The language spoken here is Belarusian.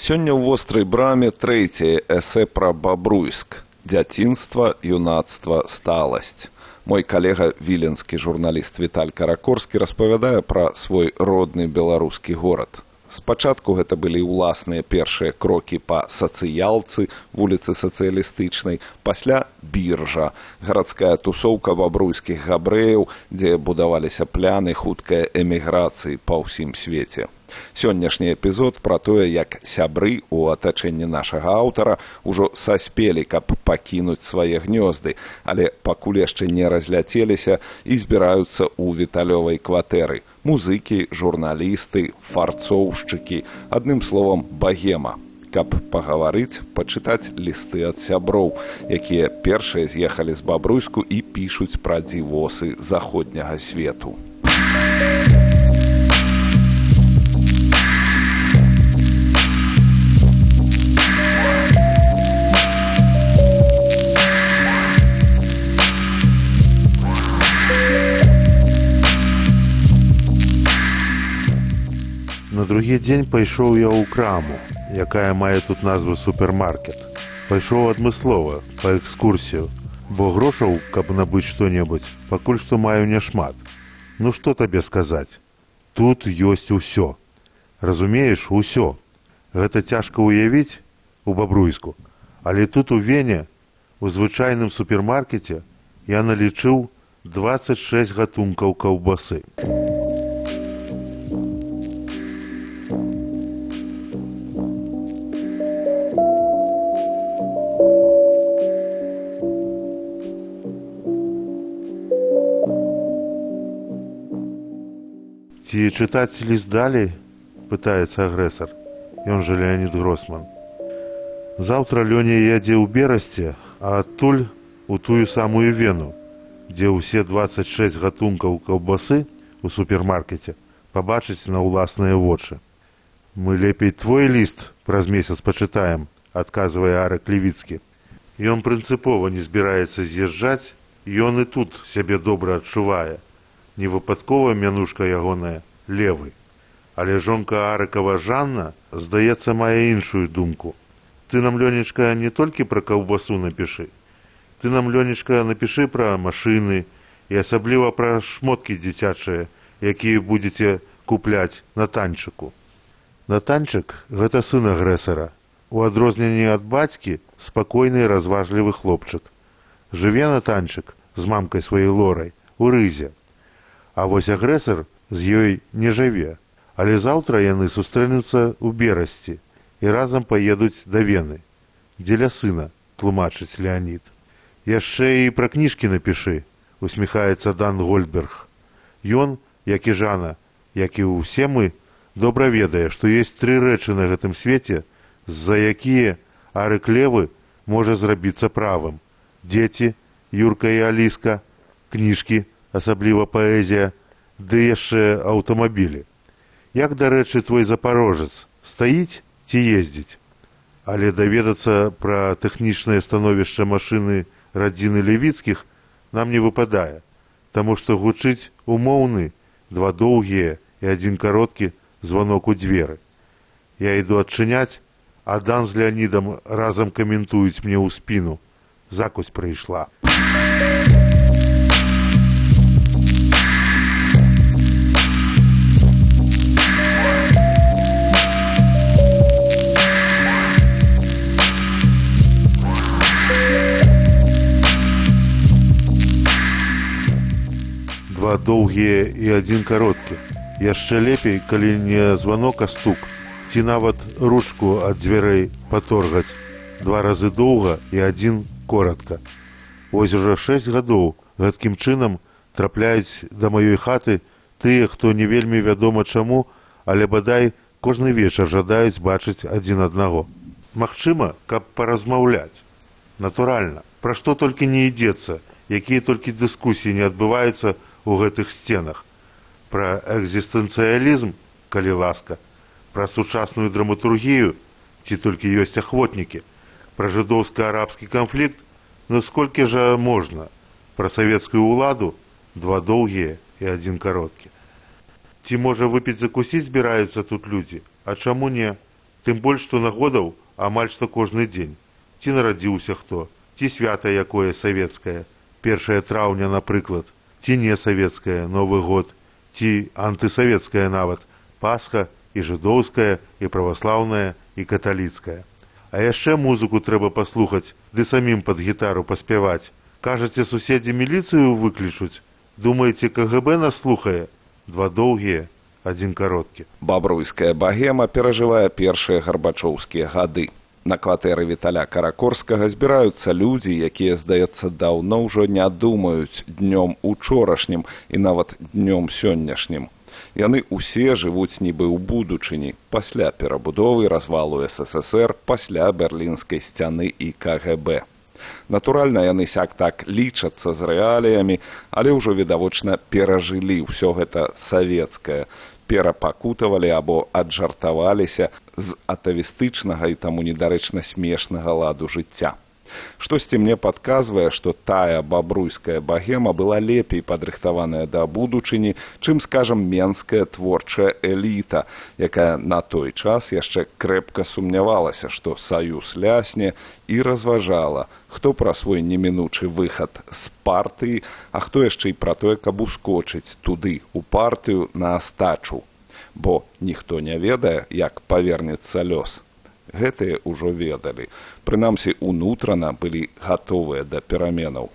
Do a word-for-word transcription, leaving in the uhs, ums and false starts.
Сёння ў вострай браме трэцяе эсэ пра Бабруйск. Дзяцінства, юнацтва, сталасць. Мой калега, віленскі журналіст Віталь Каракорскі, распавядае пра свой родны беларускі горад. Спачатку гэта былі ўласныя першыя крокі па сацыялцы, вуліцы сацыялістычнай, пасля біржа, гарадская тусоўка бабруйскіх габрэяў, дзе будаваліся пляны хуткай эміграцыі па ўсім свеце. Сённяшні эпізод пра тое, як сябры ў атачэнні нашага аўтара ўжо саспелі, каб пакінуць свае гнёзды, але пакуль яшчэ не разляцеліся і збіраюцца ў віталёвай кватэры. Музыкі, журналісты, фарцоўшчыкі, адным словам, багема. Каб пагаварыць, пачытаць лісты ад сяброў, якія першыя з'ехалі з Бабруйску і пішуць пра дзівосы заходняга свету. На другі дзень пайшоў я ў краму, якая мае тут назву супермаркет. Пайшоў адмыслова, па экскурсію, бо грошаў, каб набыць што-небудзь, пакуль што маю няшмат. Ну што табе сказаць? Тут ёсць усё. Разумееш, усё. Гэта цяжка ўявіць у Бабруйску, але тут у Вене, у звычайным супермаркеце, я налічыў дваццаць шэсць гатункаў каўбасы. Ці чытаць ліст далей? Пытаецца агрэсар. Ён жа Леонід Гросман. Заўтра Лёня ядзе ў Берасце, а адтуль у тую самую Вену, дзе ўсе дваццаць шэсць гатункаў каўбасы у супермаркеце пабачыць на ўласныя вочы. Мы лепей твой ліст праз месяц пачытаем, адказвае Арак Левіцкі. Ён прынцыпова не збіраецца з'язджаць, ён і тут сябе добра адчувае. Не выпадкова мянушка ягоная левы. Але жонка Арыкава Жанна, здаецца, мае іншую думку. Ты нам, Лёнечка, не толькі пра каўбасу напішы. Ты нам, Лёнечка, напішы пра машыны і асабліва пра шмоткі дзіцячыя, якія будзеце купляць на танчыку. Натанчык – гэта сын агрэсара. У адрозненні ад бацькі спакойны і разважлівы хлопчык. Жыве Натанчык з мамкай сваёй Лорай у Рызе. А вось агрэсар з ёй не жыве, але заўтра яны сустрэнуцца ў Берасці і разам паедуць да Вены. Дзеля сына, тлумачыць Леонід. Яшчэ і пра кніжкі напішы, усміхаецца Дан Гольдберг. Ён, як і Жана, як і ўсе мы, добра ведае, што ёсць тры рэчы на гэтым свеце, з-за якія Арык Левы можа зрабіцца правым. Дзеці, Юрка і Аліска, кніжкі, асабліва паэзія, ды яшчэ аўтамабілі. Як, дарэчы, твой запарожец, стаіць ці ездзіць? Але даведацца пра тэхнічнае становішча машыны радзіны Левіцкіх нам не выпадае, таму што гучыць умоўны, два доўгія і адзін кароткі званок у дзверы. Я іду адчыняць, а Дан з Леонідам разам каментуюць мне ў спіну. Закусь прыйшла. Два доўгія і адзін кароткі. Яшчэ лепей, калі не званок, а стук. Ці нават ручку ад дзвярэй паторгаць. Два разы доўга і адзін коратка. Вось ужо шэсць гадоў гэткім чынам трапляюць да маёй хаты тыя, хто не вельмі вядома чаму, але бадай кожны вечар жадаюць бачыць адзін аднаго. Магчыма, каб паразмаўляць. Натуральна, пра што толькі не ідзецца, якія толькі дыскусіі не адбываюцца у гэтых сценах. Пра экзістэнцыялізм, калі ласка, пра сучасную драматургію, ці толькі ёсць ахвотнікі, пра жыдоўска-арабскі канфлікт, насколькі жа можна, пра савецкую ўладу, два доўгія і адзін кароткі. Ці, можа, выпіць закусіць збіраюцца тут людзі, а чаму не? Тым больш, што нагодаў амаль што кожны дзень. Ці нарадзіўся хто, ці свята якое савецкае, першае траўня, напрыклад, ці не савецкае, Новы год, ці антысавецкае нават, Пасха і жыдоўская, і праваслаўная, і каталіцкая. А яшчэ музыку трэба паслухаць, ды самім пад гітару паспяваць. Кажаце, суседзі міліцыю выклічуць? Думаеце, КГБ нас слухае? Два доўгія, адзін кароткі. Бабруйская багема перажывае першыя гарбачоўскія гады. На кватэры Віталя Каракорскага збіраюцца людзі, якія, здаецца, даўно ўжо не думаюць днём учорашнім і нават днём сённяшнім. Яны ўсе жывуць нібы ў будучыні, пасля перабудовы развалу СССР, пасля берлінскай сцяны і КГБ. Натуральна, яны сяк-так лічацца з рэаліямі, але ўжо відавочна перажылі ўсё гэта савецкае, перапакутавалі або аджартаваліся з атавістычнага і таму недарэчна смешнага ладу жыцця. Штосьці мне падказвае, што тая бабруйская багема была лепей падрыхтаваная да будучыні, чым, скажам, менская творчая эліта, якая на той час яшчэ крэпка сумнявалася, што саюз лясне, і разважала, хто пра свой немінучы выхад з партыі, а хто яшчэ і пра тое, каб ускочыць туды, у партыю, на астачу. Бо ніхто не ведае, як павернецца лёс. Гэтыя ўжо ведалі. Прынамсі, унутрана былі гатовыя да пераменаў.